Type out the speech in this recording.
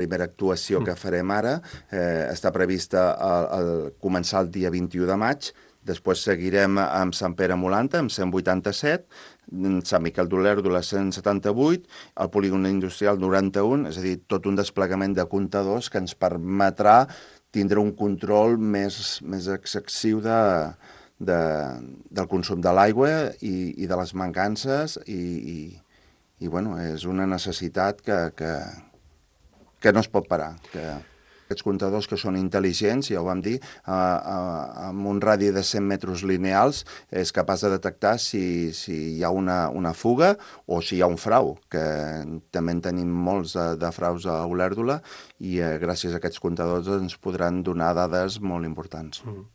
primera actuació que farem ara està prevista començar el dia 21 de maig, després seguirem amb Sant Pere Molanta, amb 187, Sant Miquel d'Olèrdola 178, el polígon industrial 91, és a dir, tot un desplegament de comptadors que ens permetrà tindre un control més excessiu del consum de l'aigua i de les mancances i bueno, és una necessitat que no es pot parar, que aquests comptadors que són intel·ligents, ja ho vam dir, amb un radi de 100 metres lineals és capaç de detectar si hi ha una fuga o si hi ha un frau, que també en tenim molts de fraus a Olèrdola i gràcies a aquests comptadors ens podran donar dades molt importants.